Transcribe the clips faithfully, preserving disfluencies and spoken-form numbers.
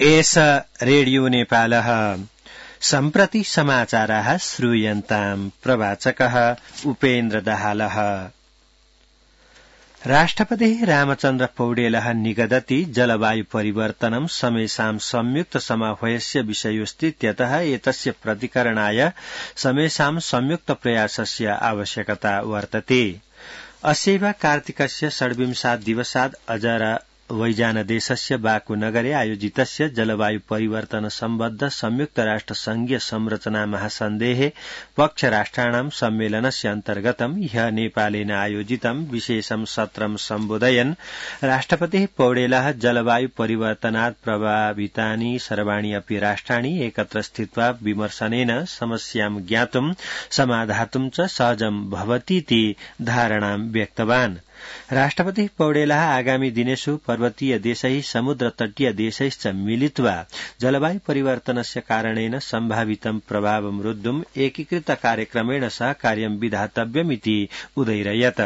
एष रेडियो नेपालः सम्प्रति समाचाराः श्रूयन्ताम् प्रवाचकः उपेन्द्र दाहालः। राष्ट्रपतिः रामचन्द्र पौडेलः निगदति जलवायु परिवर्तनं समेषां संयुक्त समाह्वयस्य विषयोऽस्तीत्यतः एतस्य प्रतिकरणाय समेषां संयुक्त प्रयासस्य आवश्यकता वर्तते। अस्यैव कार्तिकस्य षड्विंशात् दिवसात् अजरबैजानदेशस्य बाकू नगरे आयोजितस्य जलवायु परिवर्तन सम्बद्ध संयुक्त राष्ट्र संघीय संरचना महासन्धेः पक्ष राष्ट्राणां सम्मेलनस्य अन्तर्गतं ह्यः नेपालेन आयोजितं विशेषं सत्रं सम्बोधयन् राष्ट्रपतिः पौडेलः जलवायु परिवर्तनात् प्रभावितानि सर्वाणि अपि राष्ट्राणि एकत्र स्थित्वा विमर्शनेन समस्यां ज्ञातुं समाधातुं च सहजं भवतीति धारणां व्यक्तवान्। राष्ट्रपतिः पौडेलः आगामी दिनेषु पर्वतीय देशैः समुद्र तटीय देशैश्च मिलित्वा जलवायु परिवर्तनस्य कारणेन सम्भावितं प्रभावं रोद्धुम् एकीकृत कार्यक्रमेण सह कार्यं विधातव्यमिति उदयरयत्।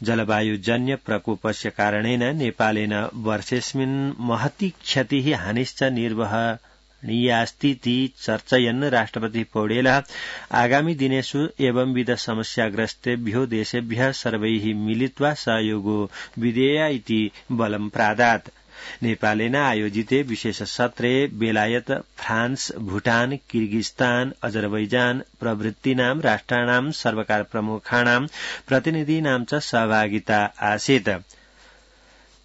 जलवायुजन्य प्रकोपस्य कारणेन नेपालेन वर्षेऽस्मिन् महती क्षतिः हानिश्च निर्वह नीयास्तीति चर्चयन् राष्ट्रपति पौडेलः आगामी दिनेषु एवंविध समस्याग्रस्तेभ्यो देशेभ्यः सर्वैः मिलित्वा सहयोगो विधेय इति बलं प्रादात्। नेपालेन आयोजिते विशेष सत्रे बेलायत, फ्रान्स, भूटान, किर्गिस्तान, अजरबैजान प्रभृतीनां राष्ट्राणां सर्वकार प्रमुखाणां प्रतिनिधीनां च सहभागिता आसीत्।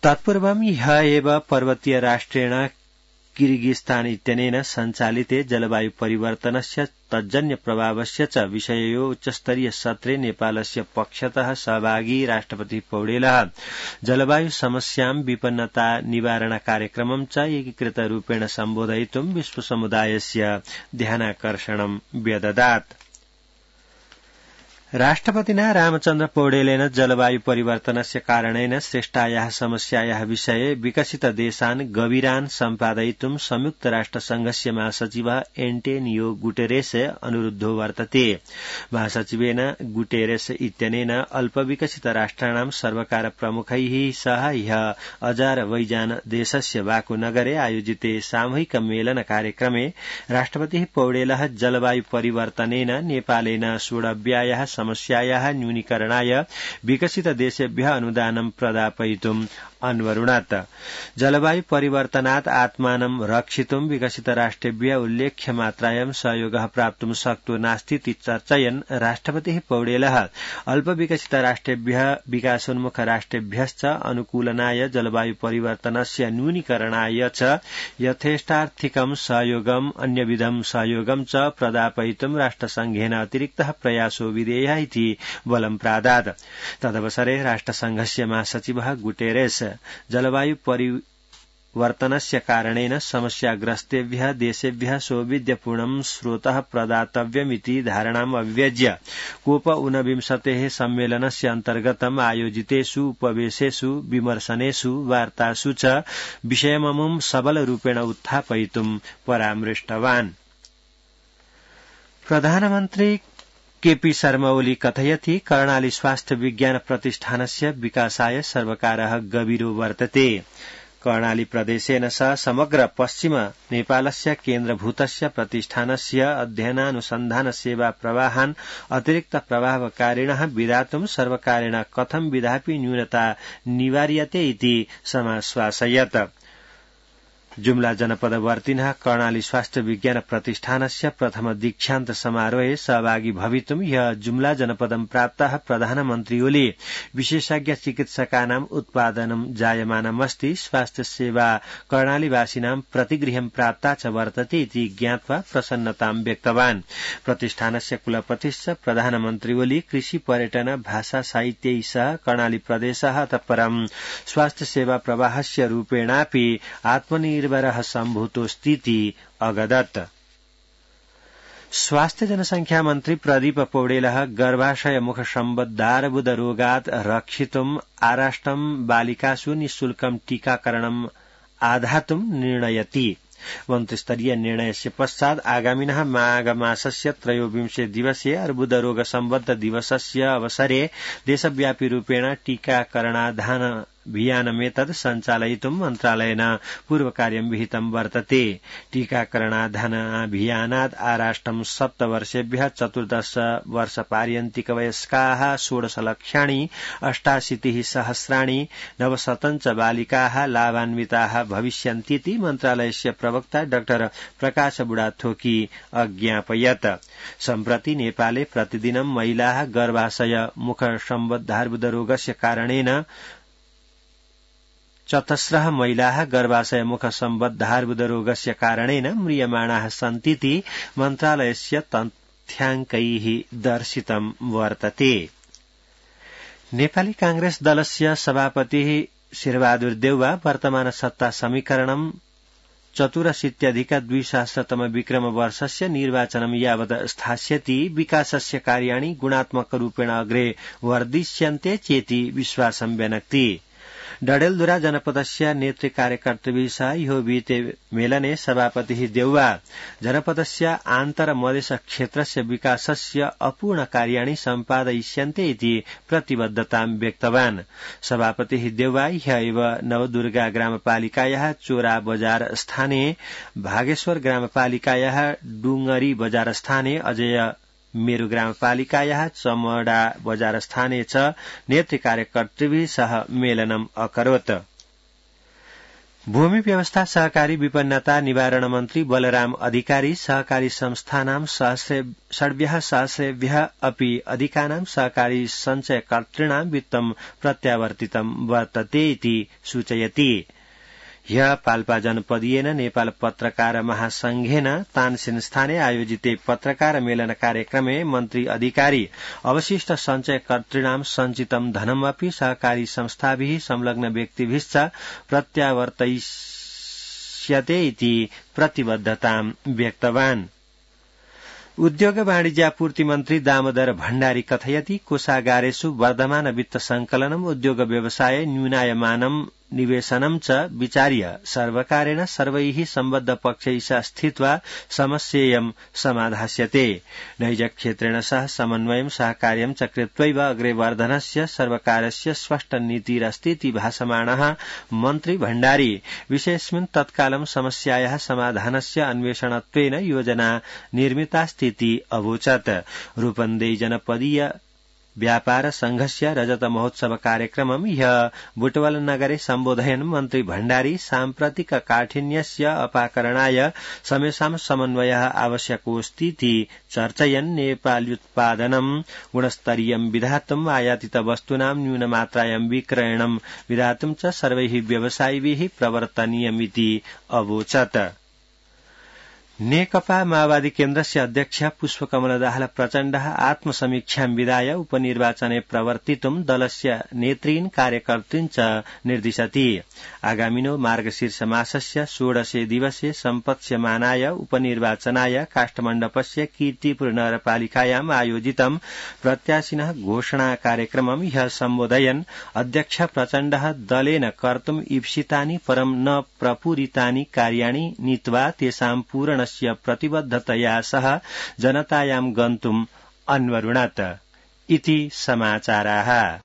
तत्पूर्वं ह्यः एव पर्वतीय राष्ट्रेण किर्गिस्तान इत्यनेन सञ्चालिते जलवायु परिवर्तनस्य तज्जन्य प्रभावस्य च विषययो उच्चस्तरीय सत्रे नेपालस्य पक्षतः सहभागी राष्ट्रपति पौडेलः जलवायु समस्यां विपन्नता निवारण कार्यक्रमं च एकीकृत रूपेण सम्बोधयितुं विश्वसमुदायस्य ध्यानाकर्षणं व्यददात्। राष्ट्रपतिना रामचन्द्र पौडेलेन जलवायु परिवर्तनस्य कारणेन सृष्टायाः समस्यायाः विषये विकसित देशान् गभीरान् सम्पादयितुं संयुक्त राष्ट्र संघस्य महासचिवः एन्टोनियो गुटेरेस अनुरुद्धो वर्तते। महासचिवेन गुटेरेस इत्यनेन अल्पविकसित राष्ट्राणां सर्वकार प्रमुखैः सह ह्यः अजरबैजान देशस्य बाकू नगरे आयोजिते सामूहिक मेलन कार्यक्रमे राष्ट्रपतिः पौडेलः जलवायु परिवर्तनेन नेपालेन सोढव्यायाः समस्यायाः न्यूनीकरणाय विकसित देशेभ्यः अनुदानं प्रदापयितुम् अन्वरुणत्। जलवायु परिवर्तनात् आत्मानं रक्षितुं विकसित राष्ट्रेभ्यः उल्लेख्य मात्रायां सहयोगः प्राप्तुं शक्तो नास्तीति चर्चयन् राष्ट्रपतिः पौडेलः अल्पविकसित राष्ट्रेभ्यः विकासोन्मुख राष्ट्रेभ्यश्च अनुकूलनाय जलवायु परिवर्तनस्य न्यूनीकरणाय च यथेष्टार्थिकं सहयोगम् अन्यविधं सहयोगं च प्रदापयितुं राष्ट्रसंघेन अतिरिक्तः प्रयासो विधेयः इति बलं प्रादात्। तदवसरे राष्ट्रसंघस्य महासचिवः गुटेरेस जलवायु परिवर्तनस्य कारणेन समस्याग्रस्तेभ्यः देशेभ्यः सौविध्यपूर्णं स्रोतः प्रदातव्यमिति धारणाम् अव्यज्य कोप ऊनविंशतेः सम्मेलनस्य अन्तर्गतम् आयोजितेषु उपवेशेषु विमर्शनेषु वार्तासु च विषयममुं सबलरूपेण उत्थापयितुं परामृष्टवान्। प्रधानमन्त्री केपी शर्मा ओली कथयति कर्णाली स्वास्थ्य विज्ञान प्रतिष्ठानस्य विकासाय सर्वकारः गभीरो वर्तते। कर्णाली प्रदेशेन सह समग्र पश्चिम नेपालस्य केन्द्रभूतस्य प्रतिष्ठानस्य अध्ययनानुसन्धान सेवा प्रवाहान् अतिरिक्त प्रभावकारिणः विधातुं सर्वकारेण कथं विधापि न्यूनता निवार्यते इति समाश्वासयत्। जुम्ला जनपदवर्तिनः कर्णाली स्वास्थ्य विज्ञान प्रतिष्ठानस्य प्रथम दीक्षान्त समारोहे सहभागी भवितुं ह्यः जुम्ला जनपदं प्राप्ताः प्रधानमन्त्री ओली विशेषज्ञ चिकित्सकानाम् उत्पादनं जायमानमस्ति, स्वास्थ्य सेवा कर्णालीवासिनां प्रतिगृहं प्राप्ता च वर्तते इति ज्ञात्वा प्रसन्नतां व्यक्तवान्। प्रतिष्ठानस्य कुलपतिश्च प्रधानमन्त्री ओली कृषि पर्यटन भाषा साहित्यै सह कर्णाली प्रदेशः अतः परं स्वास्थ्य सेवा प्रवाहस्य रूपेणापि आत्मनिर्भर निर्भरः सम्भूतोऽस्तीति अगदत्। स्वास्थ्य जनसंख्या मन्त्री प्रदीप पौडेलः गर्भाशय मुख सम्बद्धार्बुद रोगात् रक्षितुम् आराष्टं बालिकासु निःशुल्कं टीकाकरणम् आधातुं निर्णयति। मन्त्रिस्तरीय निर्णयस्य पश्चात् आगामिनः माघमासस्य त्रयोविंशे दिवसे अर्बुदरोग सम्बद्ध दिवसस्य अवसरे देशव्यापी रूपेण टीकाकरणाधान टीकाकरणाभियानमेतत् सञ्चालयितुं मन्त्रालयेन पूर्वकार्यं विहितं वर्तते। टीकाकरणाभियानात् आराष्ट्रं सप्तवर्षेभ्यः चतुर्दश वर्षपार्यन्तिकवयस्काः षोडश लक्षाणि अष्टाशीतिः सहस्राणि नवशतञ्च बालिकाः लाभान्विताः भविष्यन्तीति मन्त्रालयस्य प्रवक्ता डाक्टर प्रकाश बुढाथोकी अज्ञापयत्। सम्प्रति नेपाले प्रतिदिनं महिलाः गर्भाशय मुखसम्बद्धार्बुदरोगस्य कारणेन चतस्रः महिलाः गर्भाशय मुखसम्बद्धार्बुदरोगस्य कारणेन म्रियमाणाः सन्तीति मन्त्रालयस्य तथ्याङ्कैः दर्शितं वर्तते। नेपाली कांग्रेस दलस्य सभापतिः शेरबहादुर देउवा वर्तमान सत्ता समीकरणं चतुरशीत्यधिक द्विसहस्रतम विक्रम वर्षस्य निर्वाचनं यावत् स्थास्यति विकासस्य कार्याणि गुणात्मकरूपेण अग्रे वर्धिष्यन्ते चेति विश्वासं व्यनक्ति। डडेलधुरा जनपदस्य नेतृ कार्यकर्तृभिः सह ह्यो विहिते मेलने सभापतिः देउवा जनपदस्य आन्तरमधेश क्षेत्रस्य विकासस्य अपूर्ण कार्याणि सम्पादयिष्यन्ते इति प्रतिबद्धतां व्यक्तवान्। सभापतिः देउवा ह्य एव नवदुर्गा ग्रामपालिकायाः चोरा बजार स्थाने भागेश्वर ग्रामपालिकायाः डुंगरी बजार स्थाने अजय मेरु ग्रामपालिकायाः चमडा बजार स्थाने च नेतृ कार्यकर्तृभिः सह मेलनम् अकरोत्। भूमि व्यवस्था सहकारी विपन्नता निवारण मन्त्री बलराम अधिकारी सहकारी संस्थानां षड्भ्यः सहस्रेभ्यः अपि अधिकानां सहकारी सञ्चयकर्तॄणां वित्तं प्रत्यावर्तितं वर्तते इति सूचयति। ह्यः पाल्पा जनपदीयेन नेपाल पत्रकार महासंघेन तानसेन स्थाने आयोजिते पत्रकार मेलन कार्यक्रमे मन्त्री अधिकारी अवशिष्ट सञ्चयकर्तॄणां सञ्चितं धनमपि सहकारी संस्थाभिः संलग्न व्यक्तिभिश्च प्रत्यावर्तयिष्यते इति प्रतिबद्धतां व्यक्तवान्। उद्योग वाणिज्यापूर्ति मन्त्री दामोदर भण्डारी कथयति कोषागारेषु वर्धमान वित्त संकलनम् उद्योग व्यवसाय न्यूनायमानम् निवेशनं च विचार्य सर्वकारेण सर्वैः सम्बद्ध पक्षैः सह स्थित्वा समस्येयं समाधास्यते। नैजक्षेत्रेण सह समन्वयं सहकार्यं च कृत्वैव अग्रे वर्धनस्य सर्वकारस्य स्पष्ट नीतिरस्तीति भाषमाणः मन्त्री भण्डारी विषयेऽस्मिन् तत्कालं समस्यायाः समाधानस्य अन्वेषणत्वेन योजना निर्मितास्तीति अवोचत्। रूपन्देही जनपदीय व्यापार संघस्य रजत महोत्सव कार्यक्रमं ह्यः बुटवल नगरे सम्बोधयन् मन्त्री भण्डारी साम्प्रतिक काठिन्यस्य अपाकरणाय समेषां समन्वयः आवश्यकोऽस्तीति चर्चयन् नेपाल्युत्पादनं गुणस्तरीयं विधातुम् आयातित वस्तूनां न्यूनमात्रायां विक्रयणं विधातुं च सर्वैः व्यवसायिभिः प्रवर्तनीयमिति अवोचत्। नेकपा माओवादी केन्द्रस्य अध्यक्ष पुष्पकमल दाहाल प्रचण्डः आत्मसमीक्षां विधाय उपनिर्वाचने प्रवर्तितुं दलस्य नेतॄन् कार्यकर्तॄन् च निर्दिशति। आगामिनो मार्गशीर्ष मासस्य षोडशे दिवसे सम्पत्स्यमानाय उपनिर्वाचनाय काष्ठमण्डपस्य कीर्तिपुर नगरपालिकायाम् आयोजितं प्रत्याशिनः घोषणा कार्यक्रमं ह्यः सम्बोधयन् अध्यक्ष प्रचण्डः दलेन कर्तुम् ईप्सितानि परं न प्रपूरितानि कार्याणि नीत्वा तेषां पूरण प्रतिबद्धतया सह जनतायां गन्तुम् अन्वरुणत् इति समाचाराः।